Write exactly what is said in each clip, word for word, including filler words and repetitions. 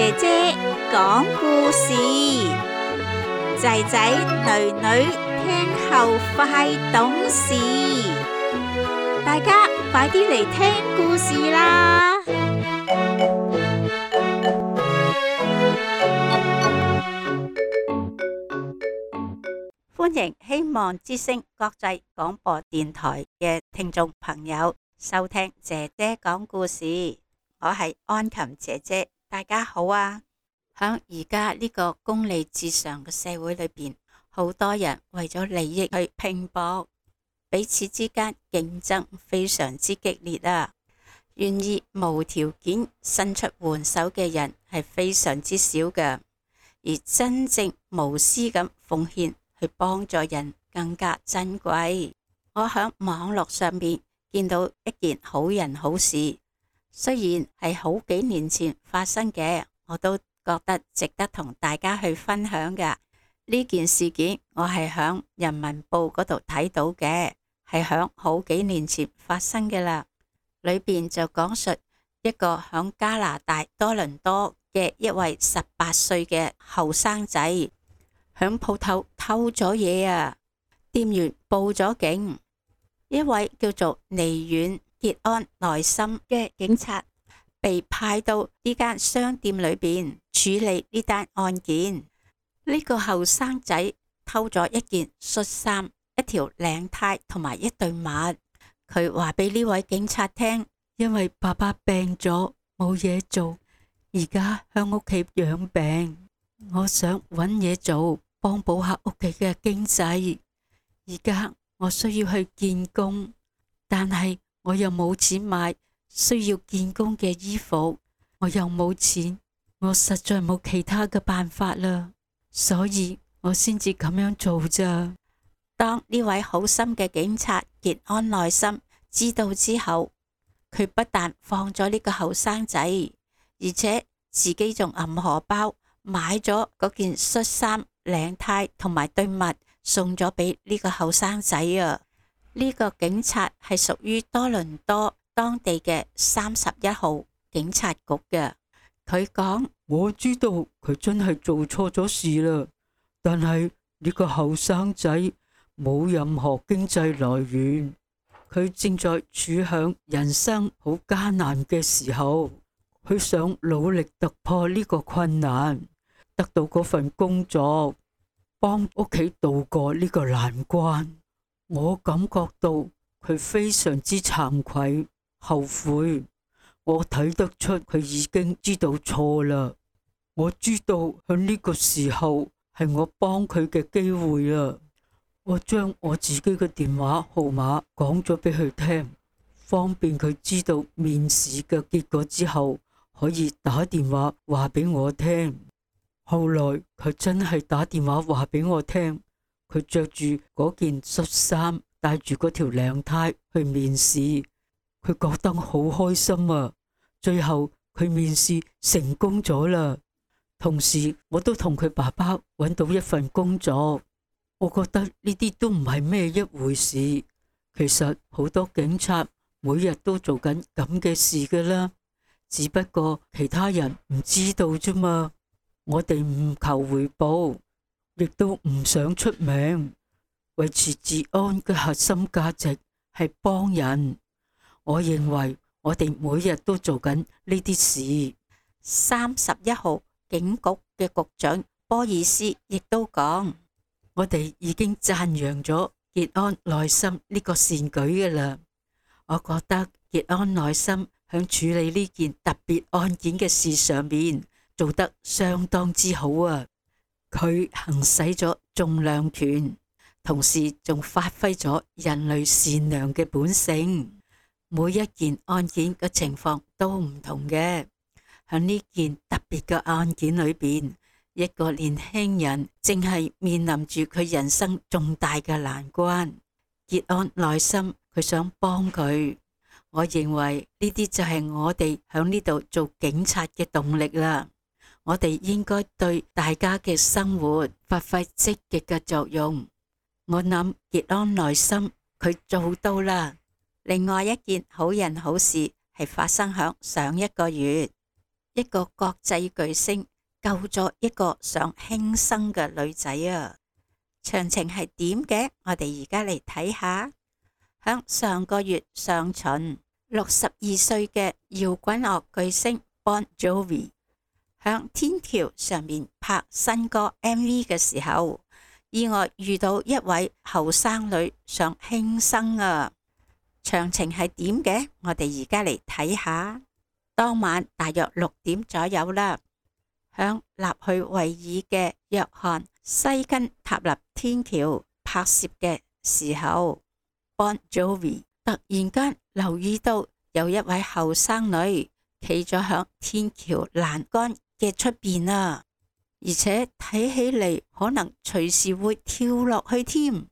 姐姐講故事，仔仔女女聽後快懂事，大家快啲嚟聽故事啦！歡迎希望之聲國際廣播電台嘅聽眾朋友收聽姐姐講故事，我係安琴姐姐，大家好啊！響而家呢個功利至上嘅社會裏邊，好多人為咗利益去拼搏，彼此之間競爭非常之激烈啊！願意無條件伸出援手嘅人係非常之少嘅，而真正無私咁奉獻去幫助人更加珍貴。我響網絡上面見到一件好人好事，雖然係好幾年前發生嘅，我都覺得值得同大家去分享嘅。呢件事件我係響人民報嗰度睇到嘅，係響好幾年前發生嘅啦。裏邊就講述一個響加拿大多倫多嘅一位十八歲嘅後生仔響鋪頭偷咗嘢啊！店員報咗警，一位叫做尼遠傑安內森嘅警察被派到呢間商店裏邊處理呢單案件。呢個後生仔偷咗一件恤衫、一條領呔同埋一對襪。佢話俾呢位警察聽，因為爸爸病咗冇嘢做，而家響屋企養病，我想搵嘢做幫補下屋企嘅經濟。而家我需要去見工，但係我又冇錢買需要見工嘅衣服，我又冇錢，我實在冇其他嘅辦法啦，所以我先至咁樣做咋。當呢位好心嘅警察傑安內森知道之後，佢不但放咗呢個後生仔，而且自己仲揞荷包買咗嗰件恤衫、領呔同埋對襪送咗俾呢個後生仔啊！呢個警察係屬於多倫多當地嘅三十一號警察局嘅。佢講：我知道佢真係做錯咗事啦，但係呢個後生仔冇任何經濟來源，佢正在處向人生好艱難嘅時候，佢想努力突破呢個困難，得到嗰份工作，幫屋企渡過呢個難關。我感覺到佢非常之慚愧、後悔。我睇得出佢已經知道錯啦。我知道喺呢個時候係我幫佢嘅機會啊！我將我自己嘅電話號碼講咗俾佢聽，方便佢知道面試嘅結果之後可以打電話話俾我聽。後來佢真係打電話話俾我聽，佢着住嗰件恤衫，帶住嗰條領呔去面試，佢覺得好開心啊！最後佢面試成功咗啦，同時我都同佢爸爸揾到一份工作。我覺得呢啲都唔係咩一回事。其實好多警察每日都做緊咁嘅事噶啦，只不過其他人唔知道啫嘛。我哋唔求回報，亦都唔想出名。維持治安嘅核心價值係幫人。我認為我哋每日都做緊呢啲事。三十一號警局嘅局長波爾斯亦都講：我哋已經讚揚咗傑安內森呢個善舉嘅啦。我覺得傑安內森響處理呢件特別案件嘅事上面做得相當之好啊！佢行使咗重量權，同時仲發揮咗人類善良嘅本性。每一件案件嘅情況都唔同嘅。喺呢件特別嘅案件裏邊，一個年輕人正係面臨住佢人生重大嘅難關。傑安內森佢想幫佢，我認為呢啲就係我哋喺呢度做警察嘅動力啦。我哋應該對大家嘅生活發揮積極嘅作用。我諗傑安內森佢做到啦。另外一件好人好事係發生響上一個月，一個國際巨星救咗一個想輕生嘅女仔啊！詳情係點嘅？我哋而家嚟睇下。響上個月上旬，六十二歲嘅搖滾樂巨星 Bon Jovi 響天橋上面拍新歌 M V 嘅時候，意外遇到一位後生女想輕生啊！詳情係點嘅？我哋而家嚟睇下。當晚大約六點左右啦，響納去維爾嘅約翰西根塔納天橋拍攝嘅時候， Bon Jovi 突然間留意到有一位後生女企咗響天橋欄杆嘅出邊啊，而且睇起嚟可能隨時會跳落去添。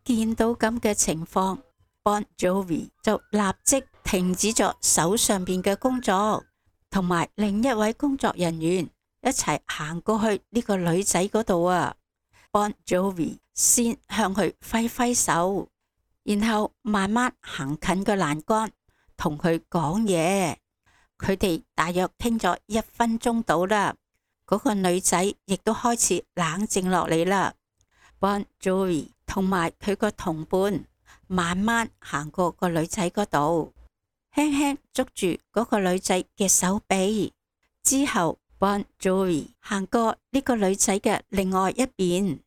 見到咁嘅情況，Bon Jovi 就立即停止咗手上邊嘅工作，同埋另一位工作人員一齊行過去呢個女仔嗰度啊。Bon Jovi 先向佢揮揮手，然後慢慢行近個欄杆，同佢講嘢。佢哋大約傾咗一分鐘到啦，嗰個女仔亦都開始冷靜落嚟啦。Bon Jovi 同埋佢個同伴慢慢行過個女仔嗰度，輕輕捉住嗰個女仔嘅手臂，之後 Bon Jovi 行過呢個女仔嘅另外一邊，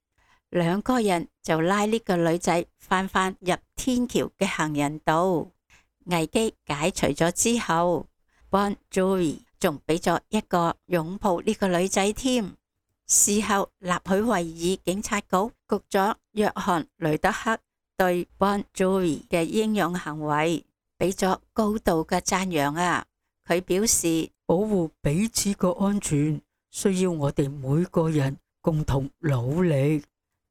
兩個人就拉呢個女仔翻返入天橋嘅行人道。危機解除咗之後， Bon Jovi 仲俾咗一個擁抱呢個女仔添。事後納許維爾警察局局長約翰雷德克對 Bon Jovi 嘅英勇行為俾咗高度嘅讚揚啊！佢表示，保護彼此個安全需要我哋每個人共同努力。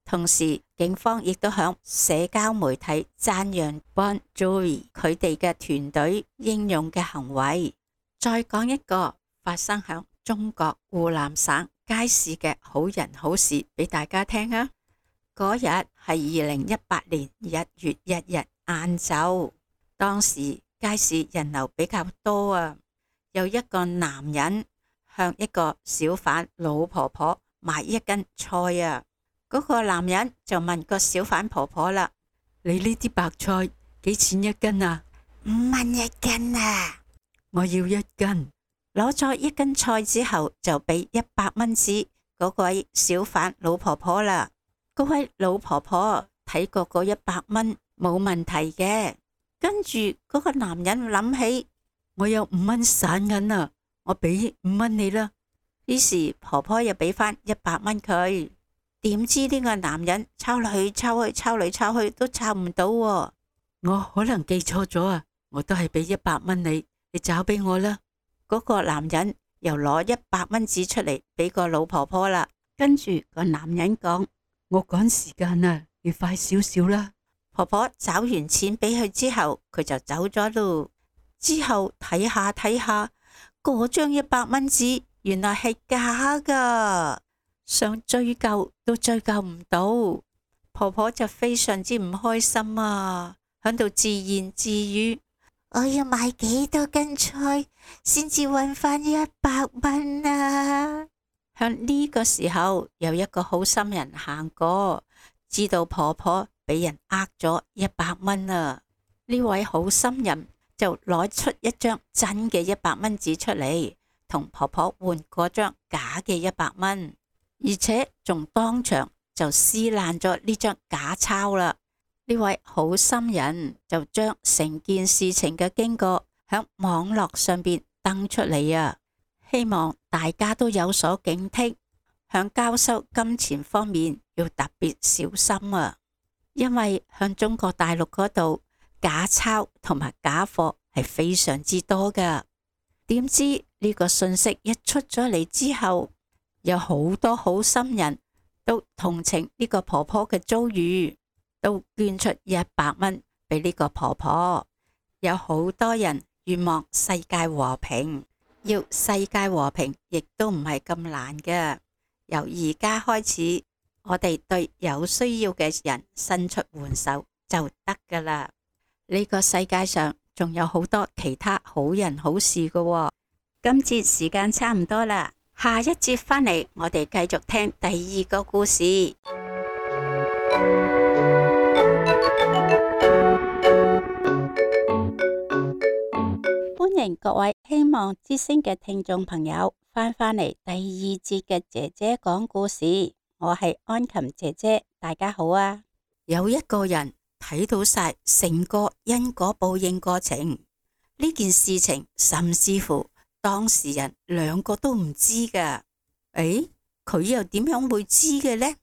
同時警方亦都響社交媒體讚揚 Bon Jovi 佢哋嘅團隊英勇嘅行為。再講一個發生響中國湖南省街市嘅好人好事俾大家聽啊！嗰日係二零一八年一月一日晏晝，當時街市人流比較多啊，有一個男人向一個小販老婆婆買一斤菜啊，嗰個男人就問個小販婆婆啦：你呢啲白菜幾錢一斤啊？五蚊一斤啊！我要一斤。攞咗一斤菜之後，就俾一百蚊紙嗰位小販老婆婆啦。嗰位老婆婆睇過嗰一百蚊冇問題嘅，跟住嗰個男人諗起，我有五蚊散銀啊，我俾五蚊你啦。於是婆婆又俾翻一百蚊佢。點知呢個男人抄嚟去抄去，抄嚟抄去都抄唔到喎。我可能記錯咗啊，我都係俾一百蚊你，你找俾我啦。嗰個男人又攞一百蚊紙出嚟俾個老婆婆啦。跟住個男人講：我趕時間啊，你快少少啦。婆婆找完錢俾佢之後，佢就走咗咯。之後睇下睇下，嗰張一百蚊紙原來係假噶，想追究都追究唔到。婆婆就非常之唔開心啊，喺度自言自語：我要買幾多斤菜先至搵翻一百蚊啊！響呢個時候，有一個好心人行過，知道婆婆俾人呃咗一百蚊啊！呢位好心人就攞出一張真嘅一百蚊紙出嚟，同婆婆換嗰張假嘅一百蚊，而且仲當場就撕爛咗呢張假鈔啦。呢位好心人就將成件事情嘅經過響網絡上邊登出嚟啊，希望大家都有所警惕，響交收金錢方面要特別小心啊！因為響中國大陸嗰度假鈔同埋假貨係非常之多噶。點知呢個信息一出咗嚟之後，有好多好心人都同情呢個婆婆嘅遭遇，都捐出一百蚊俾呢個婆婆。有好多人願望世界和平，要世界和平亦都唔係咁難嘅。由而家開始，我哋對有需要嘅人伸出援手就得噶啦。呢個世界上仲有好多其他好人好事噶喎。今節時間差唔多啦，下一節返嚟我哋繼續聽第二個故事。歡迎各位希望之聲嘅聽眾朋友翻返嚟第二節嘅姐姐講故事，我係安琴姐姐，大家好啊！有一個人睇到晒成個因果報應過程，呢件事情甚至乎當事人兩個都唔知噶。誒，佢又點樣會知嘅呢？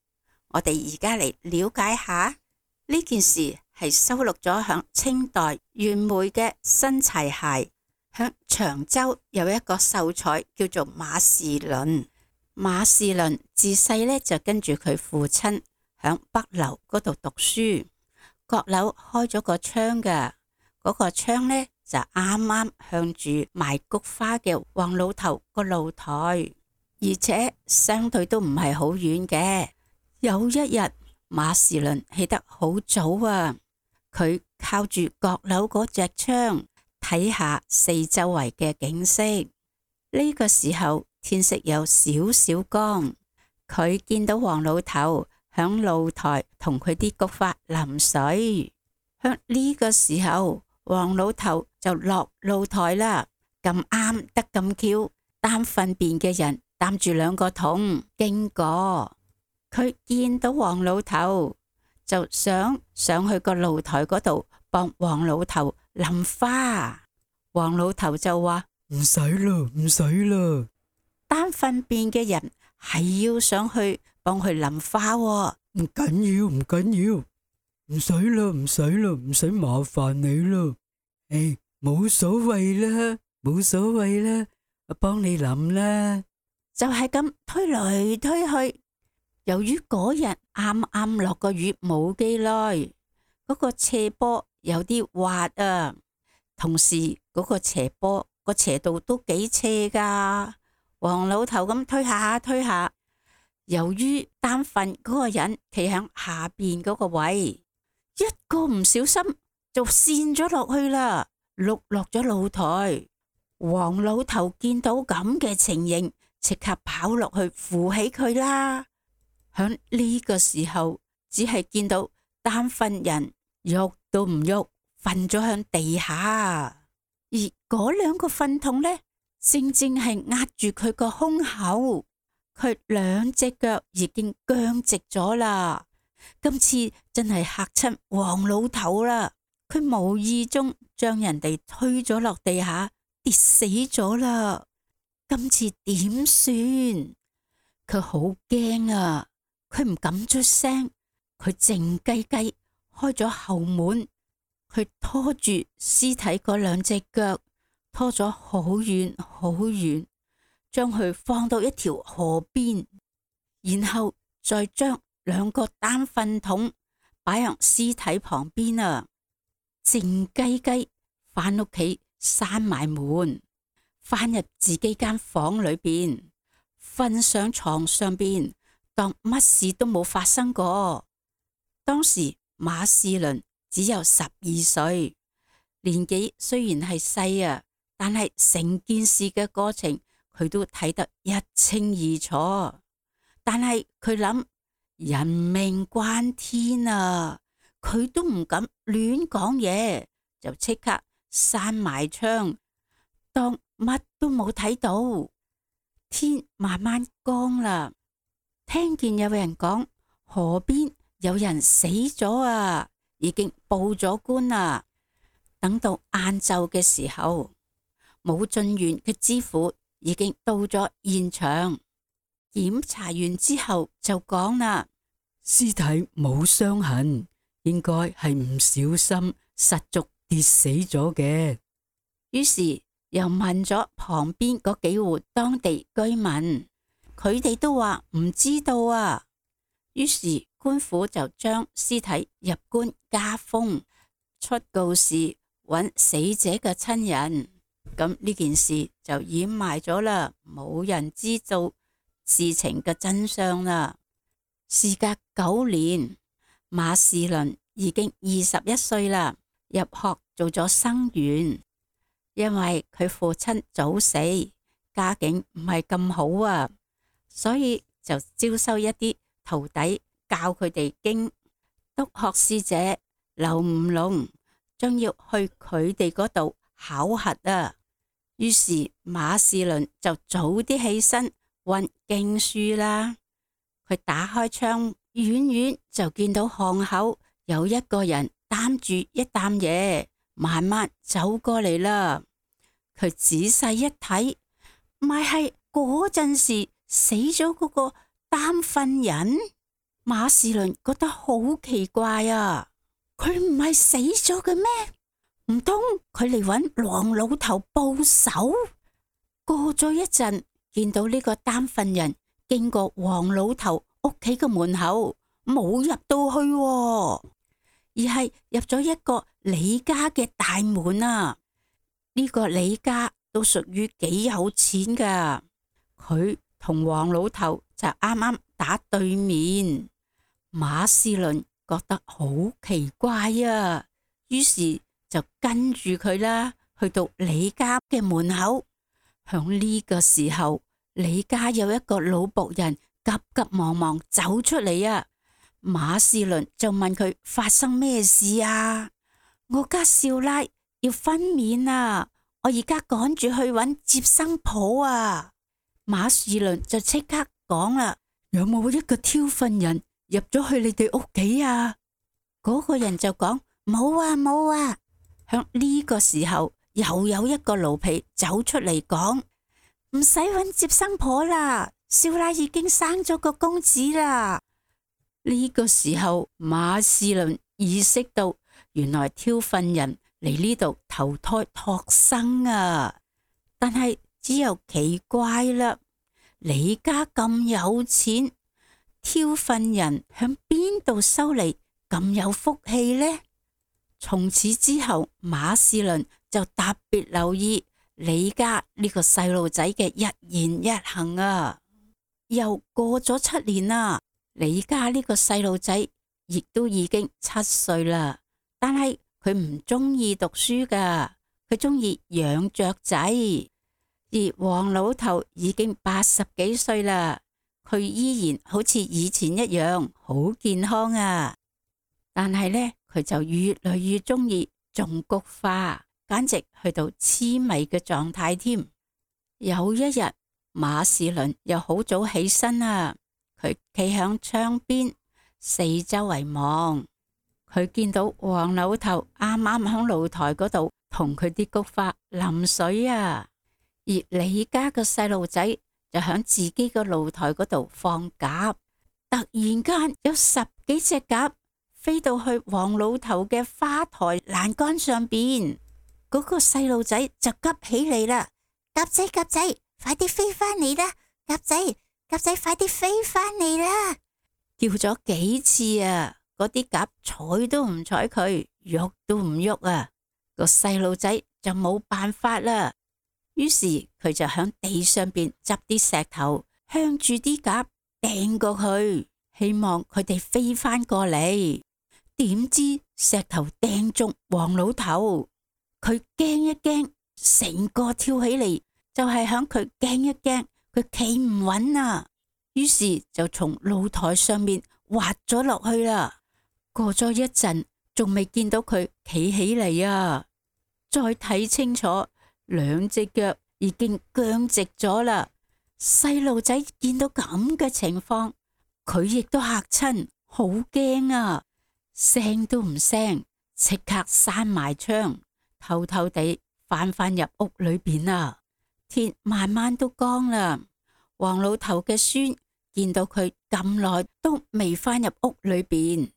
我哋而家嚟了解下呢件事，係收錄咗響清代袁枚嘅《新柴械》。響長洲有一個秀才叫做馬士倫，馬士倫自細呢就跟住佢父親響北樓嗰度讀書，閣樓開咗個窗噶，嗰、嗰個窗呢就啱啱向住賣菊花嘅黃老頭個露台，而且相對都唔係好遠嘅。有一日，馬士倫起得好早啊，佢靠住閣樓嗰隻窗睇下四周圍嘅景色。呢、這個時候天色有少少光，佢見到黃老頭響露台同佢啲菊花淋水。響呢個時候，黃老頭就落露台啦。咁啱得咁巧，擔糞便嘅人擔住兩個桶經過，佢見到黃老頭就想上去個露台嗰度幫黃老頭淋花。黃老頭就話唔使啦，唔使啦。擔糞便嘅人係要上去幫佢淋花喎。唔緊要，唔緊要，唔使啦，唔使啦，唔使麻煩你啦。誒，冇所謂啦，冇所謂啦，我幫你淋啦。就係咁推來推去。由於嗰日啱啱落個雨冇幾耐，嗰個斜坡有啲滑啊，同時嗰個斜坡個斜度都幾斜噶。黃老頭咁推下推下，由於擔糞嗰個人企喺下邊嗰個位，一個唔小心就跣咗落去啦，碌落咗露台。黃老頭見到咁嘅情形，即刻跑落去扶起佢啦。響呢個時候，只係見到擔糞人喐都唔喐，瞓咗響地下，而嗰兩個糞桶呢，正正係壓住佢個胸口，佢兩隻腳已經僵直咗啦。今次真係嚇親黃老頭啦，佢無意中將人哋推咗落地下，跌死咗啦。今次點算？佢好驚啊！佢唔敢出聲，佢靜雞雞開咗後門，佢拖住屍體嗰兩隻腳，拖咗好遠好遠，將佢放到一條河邊，然後再將兩個擔糞桶擺喺屍體旁邊啊！靜雞雞返屋企，閂埋門，返入自己間房裏邊，瞓上床上邊，當乜事都冇發生過。當時馬士倫只有十二歲，年紀雖然係細啊，但係成件事嘅過程佢都睇得一清二楚。但係佢諗人命關天啊，佢都唔敢亂講嘢，就即刻閂埋窗，當乜都冇睇到。天慢慢光啦，聽見有人講河邊有人死咗啊，已經報咗官啦。等到晏晝嘅時候，武進縣嘅知府已經到咗現場，檢查完之後就講啦，屍體冇傷痕，應該係唔小心失足跌死咗嘅。於是又問咗旁邊嗰幾戶當地居民，佢哋都話唔知道啊。於是官府就將屍體入棺加封，出告示揾死者嘅親人。咁呢件事就掩埋咗啦，冇人知道事情嘅真相啦。事隔九年，馬士倫已經二十一歲啦，入學做咗生員。因為佢父親早死，家境唔係咁好啊，所以就招收一啲徒弟教佢哋經。督學使者劉吳龍將要去佢哋嗰度考核啊，於是馬士倫就早啲起身溫經書啦。佢打開窗，遠遠就見到巷口有一個人擔住一擔嘢，慢慢走過嚟啦。佢仔細一睇，咪係嗰陣時死咗嗰個擔糞人。馬士倫覺得好奇怪啊，佢唔係死咗嘅咩？唔通佢嚟搵黃老頭報仇？過咗一陣，見到呢個擔糞人經過黃老頭屋企嘅門口，冇入到去喎，而係入咗一個李家嘅大門啊！呢個李家都屬於幾有錢噶，佢同黃老頭就啱啱打對面。馬士倫覺得好奇怪啊，於是就跟住佢啦，去到李家嘅門口。響呢個時候，李家有一個老僕人急急忙忙走出嚟啊。馬士倫就問佢發生咩事啊？我家少奶要分娩啊，我而家趕住去揾接生婆啊。馬士倫就即刻講啦，有冇一個挑糞人入咗去你哋屋企啊？嗰個人就講冇啊冇啊。響呢個時候又有一個奴婢走出嚟講，唔使揾接生婆啦，少奶已經生咗個公子啦。呢個時候馬士倫意識到，原來挑糞人嚟呢度投胎託生啊。但係只有奇怪啦，你家咁有錢，挑糞人響邊度收嚟咁有福氣呢？從此之後，馬士倫就特別留意李家呢個細路仔嘅一言一行啊。又過咗七年啦，李家呢個細路仔亦都已經七歲啦，但係佢唔中意讀書噶，佢中意養雀仔。而黃老頭已經八十幾歲啦，佢依然好似以前一樣好健康啊。但係呢，佢就越嚟越中意種菊花，簡直去到痴迷嘅狀態添。有一日，馬士倫又好早起身啊，佢企響窗邊四周圍望，佢見到黃老頭啱啱響露台嗰度同佢啲菊花淋水啊。而李家個細路仔就響自己個露台嗰度放鴿，突然間有十幾隻鴿飛到去黃老頭嘅花台欄杆上邊，嗰個細路仔就急起嚟啦！鴿仔鴿仔，快啲飛翻嚟啦！鴿仔鴿仔，快啲飛翻嚟啦！叫咗幾次啊，嗰啲鴿睬都唔睬佢，喐都唔喐啊！個細路仔就冇辦法啦。於是佢就響地上邊執啲石頭，向住啲鴿掟過去，希望佢哋飛翻過嚟。點知石頭掟中黃老頭，佢驚一驚，成個跳起嚟，就係響佢驚一驚，佢企唔穩啊。於是就從露台上面滑咗落去啦。過咗一陣，仲未見到佢企起嚟啊！再睇清楚，兩隻腳已經僵直咗啦。細路仔見到咁嘅情況，佢亦都嚇親，好驚啊！聲都唔聲，即刻閂埋窗，偷偷地翻返入屋裏邊啊。天慢慢都光啦。黃老頭嘅孫見到佢咁耐都未翻入屋裏邊，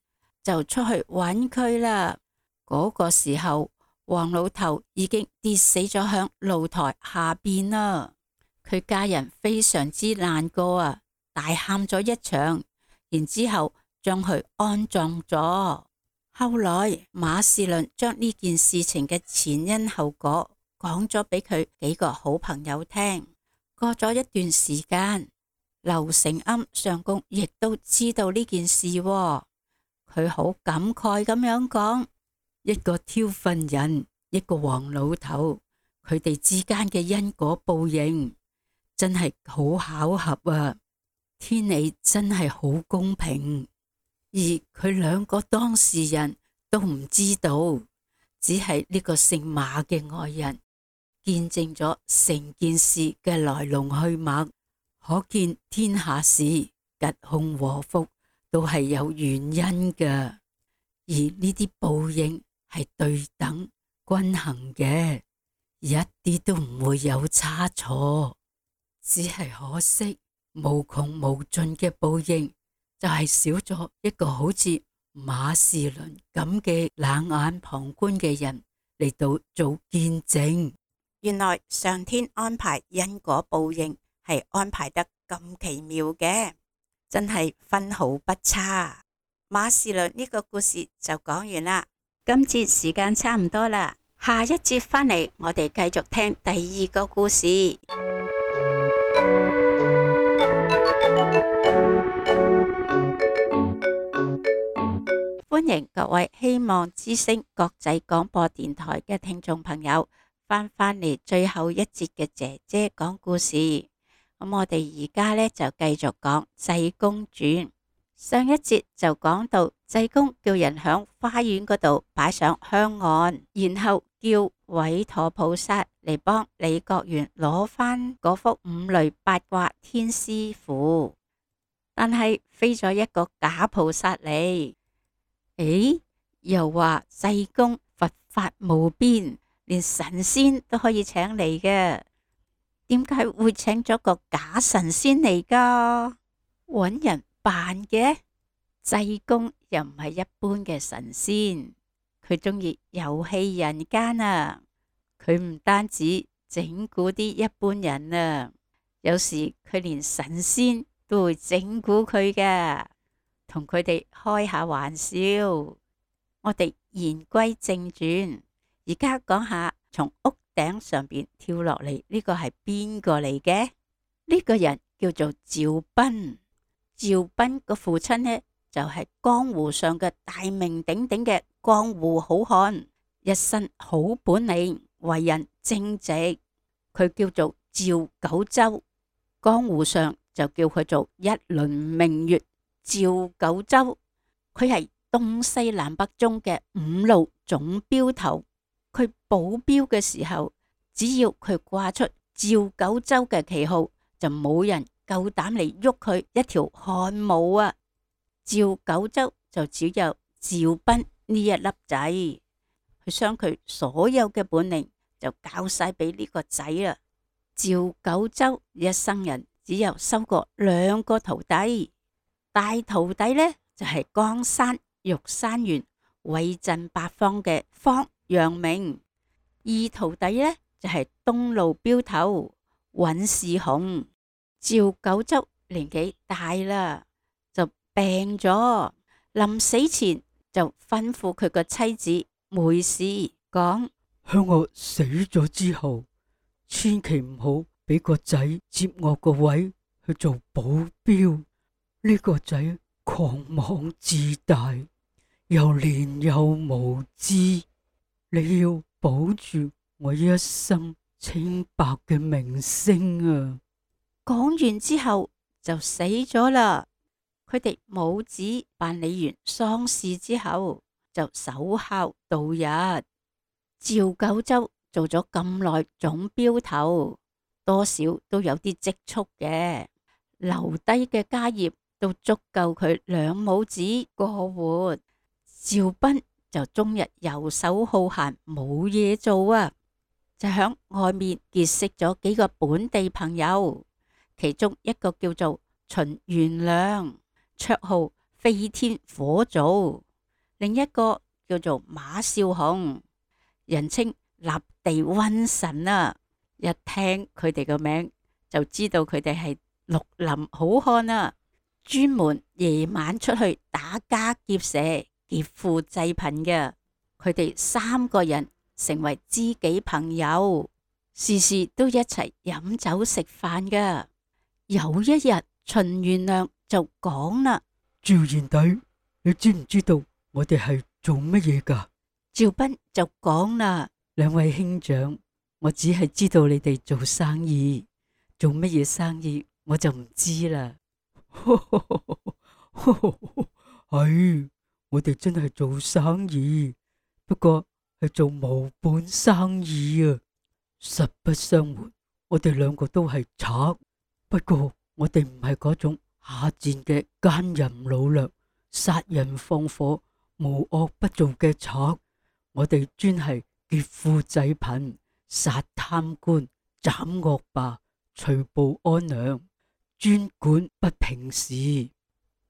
就出去揾佢啦。嗰個時候，黃老頭已經跌死咗響露台下邊啦。佢家人非常之難過啊，大喊咗一場，然之後將佢安葬咗。後來馬士倫將呢件事情嘅前因後果講咗俾佢幾個好朋友聽。過咗一段時間，劉承庵上公亦都知道呢件事喎，佢好感慨咁樣講：一個挑糞人，一個黃老頭，佢哋之間嘅因果報應，真係好巧合啊！天理真係好公平，而佢兩個當事人都唔知道，只係呢個姓馬嘅愛人見證咗成件事嘅來龍去脈，可見天下事吉凶禍福都係有原因嘅，而呢啲報應係對等均衡嘅，一啲都唔會有差錯。只係可惜無窮無盡嘅報應就係少咗一個好似馬士倫咁嘅冷眼旁觀嘅人嚟到做見證。原來上天安排因果報應係安排得咁奇妙嘅，真係分毫不差。馬士倫呢個故事就講完啦，今節時間差唔多啦，下一節返嚟我哋繼續聽第二個故事。歡迎各位希望之聲國際廣播電台嘅聽眾朋友翻返嚟最後一節嘅姐姐講故事。咁我哋而家呢，就繼續講濟公傳。上一節就講到濟公叫人響花園嗰度擺上香案，然後叫韋陀菩薩嚟幫李國元攞翻嗰幅五雷八卦天師符，但係飛咗一個假菩薩嚟。誒，又話濟公佛法無邊，連神仙都可以請嚟嘅，點解會請咗個假神仙嚟噶？搵人扮嘅？濟公又唔係一般嘅神仙，佢中意遊戲人間啊！佢唔單止整蠱啲一般人啊，有時佢連神仙都會整蠱佢嘅，同佢哋開下玩笑。我哋言歸正傳，而家講下從屋頂上邊跳落嚟呢個係邊個嚟嘅？呢個人叫做趙斌。趙斌個父親呢，就係江湖上嘅大名鼎鼎嘅江湖好漢，一身好本領，為人正直。佢叫做趙九州，江湖上就叫佢做一輪明月趙九州。佢係東西南北中嘅五路總鏢頭。佢保鏢嘅時候，只要佢掛出趙九州嘅旗號，就冇人夠膽嚟喐佢一條汗毛啊！趙九州就只有趙斌呢一粒仔，佢將佢所有嘅本領就教晒俾呢個仔啦。趙九州一生人只有收過兩個徒弟，大徒弟呢就係、是、江山玉山園威震八方嘅方陽明，二徒弟呢就係、是、東路鏢頭尹士雄。趙九州年紀大啦，就病咗，臨死前就吩咐佢個妻子梅氏講：向我死咗之後，千祈唔好俾個仔接我個位去做保鏢。呢、這個仔狂妄自大，又年幼無知，你要保住我一生清白嘅名聲啊！講完之後就死咗啦。佢哋母子辦理完喪事之後，就守孝度日。趙九州做咗咁耐總鏢頭，多少都有啲積蓄嘅，留低嘅家業都足夠佢兩母子過活。趙斌就終日游手好閒，冇嘢做啊，就響外面結識咗幾個本地朋友。其中一個叫做秦元亮，綽號飛天火祖；另一個叫做馬少雄，人稱立地瘟神啊！一聽佢哋個名就知道佢哋係綠林好漢啊，專門夜晚出去打家劫舍、劫富濟貧嘅。佢哋三個人成為知己朋友，時時都一齊飲酒食飯噶。有一日，秦元亮就講啦：趙賢弟，你知唔知道我哋係做乜嘢噶？趙斌就講啦：兩位兄長，我只係知道你哋做生意，做乜嘢生意我就唔知啦。係，我哋真係做生意，不過係做無本生意啊。實不相瞞，我哋兩個都係賊，不過我哋唔係嗰種下賤嘅奸淫擄掠、殺人放火、無惡不造嘅賊。我哋專係劫富濟貧、殺貪官、斬惡霸、除暴安良，專管不平事。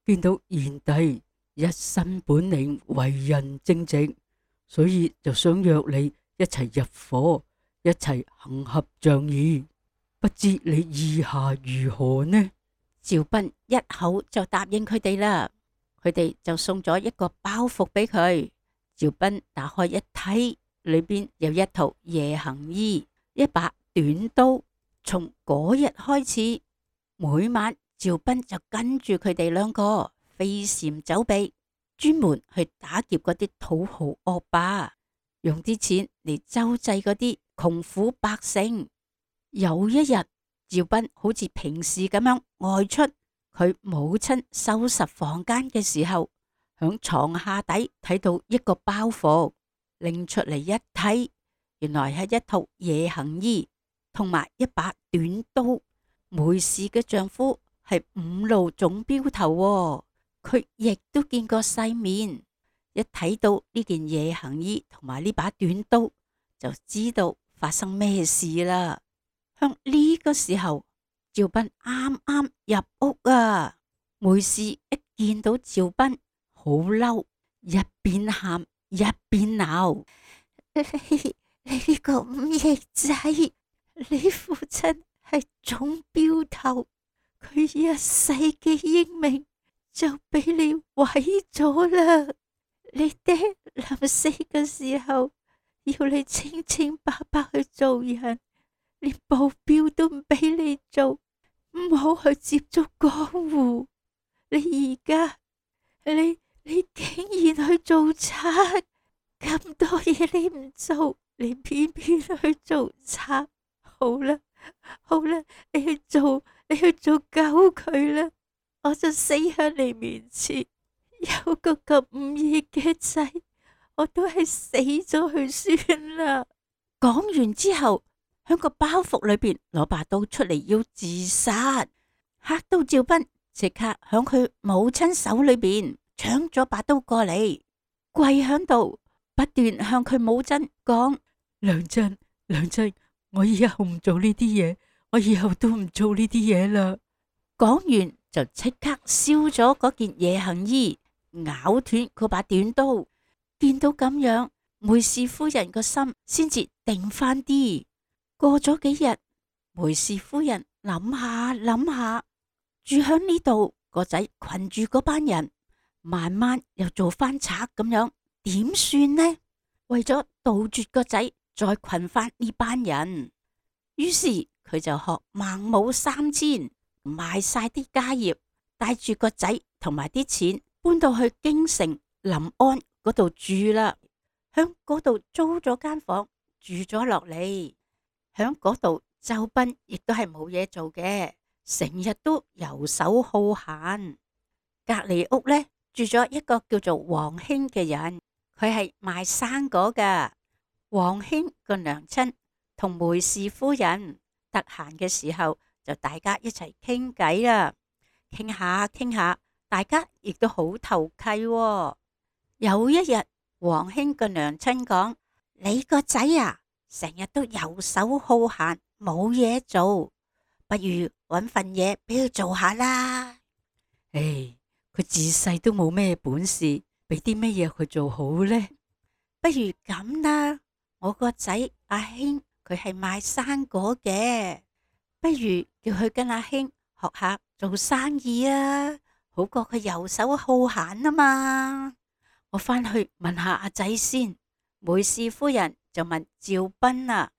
見到賢弟一身本領，為人正直，所以就想約你一齊入伙，一齊行俠仗義。不知你意下如何呢？趙斌一口就答應佢哋啦。佢哋就送咗一個包袱俾佢。趙斌打開一睇，裏邊有一套夜行衣，一把短刀。從嗰日開始，每晚趙斌就跟住佢哋兩個飛檐走壁，專門去打劫嗰啲土豪惡霸，用啲錢嚟周濟嗰啲窮苦百姓。有一日，趙斌好似平時咁樣外出，佢母親收拾房間嘅時候，響床下底睇到一個包袱，拎出嚟一睇，原來係一套夜行衣同埋一把短刀。梅氏嘅丈夫係五路總鏢頭喎，佢亦都見過世面，一睇到呢件夜行衣同埋呢把短刀，就知道發生咩事啦。向呢個時候，趙斌啱啱入屋啊，梅氏一見到趙斌，好嬲，一邊喊一邊鬧：你你呢個忤逆仔，你父親係總鏢頭，佢一世嘅英名就俾你毀咗啦！你爹臨死嘅時候要你清清白白去做人，連保鏢都唔俾你做，唔好去接觸江湖。你而家你你竟然去做賊，咁多嘢你唔做，你偏偏去做賊。好啦好啦，你去做你去做狗佢啦，我就死喺你面前，有個咁忤逆嘅仔，我都係死咗去算啦。講完之後，響個包袱裏邊攞把刀出嚟要自殺，嚇到趙斌即刻響佢母親手裏邊搶咗把刀過嚟，跪響度不斷向佢母親講：娘親娘親，我以後唔做呢啲嘢，我以後都唔做呢啲嘢啦。講完就即刻燒咗嗰件夜行衣，咬斷嗰把短刀。見到咁樣，梅氏夫人個心先至定翻啲。過咗幾日，梅氏夫人諗下諗下，住響呢度個仔群住嗰班人，慢慢又做翻賊咁樣，點算呢？為咗杜絕個仔再群翻呢班人，於是佢就學孟母三遷，賣晒啲家業，帶住個仔同埋啲錢搬到去京城臨安嗰度住啦。響嗰度租咗間房住咗落嚟。響嗰度，周斌亦都係冇嘢做嘅，成日都游手好閒。隔籬屋呢，住咗一個叫做黃興嘅人，佢係賣生果噶。黃興個娘親同梅氏夫人得閒嘅時候，就大家一齊傾偈啦，傾下傾下，大家亦都好投契喎。有一日，黃興個娘親講：你個仔啊，成日都游手好閒，冇嘢做，不如搵份嘢俾佢做下啦。唉，佢自細都冇咩本事，俾啲乜嘢佢做好呢？不如咁啦，我個仔阿興佢係賣生果嘅，不如叫佢跟阿興學下做生意啊，好過佢游手好閒啊嘛。我翻去問下阿仔先。梅氏夫人就問趙斌啊，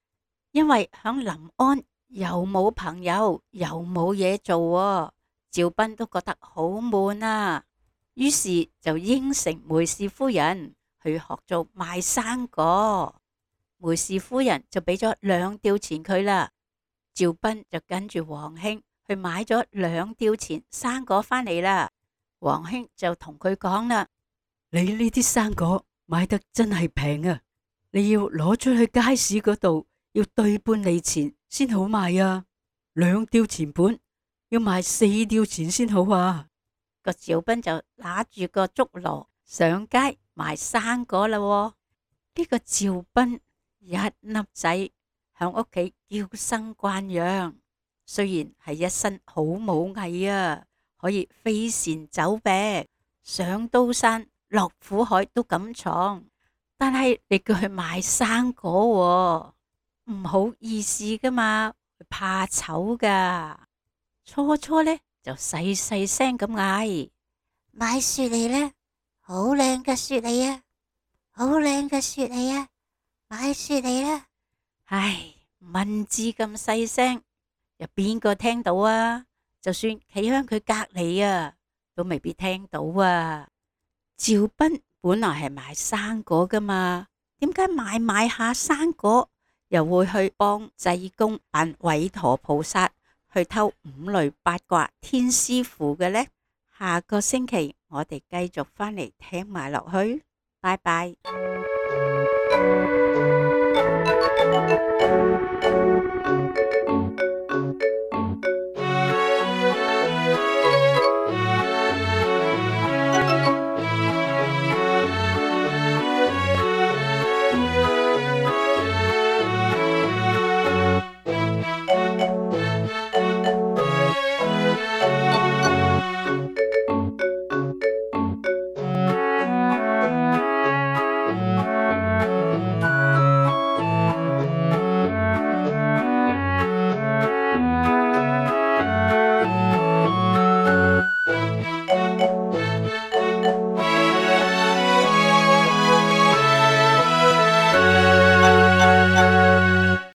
因為響臨安又冇朋友又冇嘢做啊，趙斌都覺得好悶啊，於是就應承梅氏夫人去學做賣生果。梅氏夫人就俾咗兩吊錢佢啦。趙斌就跟住黃興去買咗兩吊錢生果返嚟啦。黃興就同佢講啦：你呢啲生果買得真係平啊！你要攞出去街市嗰度，要對半厘錢先好賣啊！兩吊錢本要賣四吊錢先好啊！個趙斌就拿住個竹籮上街賣生果啦。呢個趙斌一粒仔響屋企嬌生慣養，雖然係一身好武藝啊，可以飛檐走壁，上刀山落苦海都敢闖，但係你叫佢賣生果喎，唔好意思噶嘛，怕醜噶。初初呢就細細聲咁嗌：買雪梨啦，好靚嘅雪梨啊，好靚嘅雪梨啊，買雪梨啦。唉，蚊子咁細聲，有邊個聽到啊？就算企喺佢隔籬啊，都未必聽到啊。趙斌本來係賣生果噶嘛，點解買買下生果又會去幫濟公扮韋陀菩薩去偷五雷八卦天師符嘅呢？下個星期我哋繼續返嚟聽埋落去，拜拜。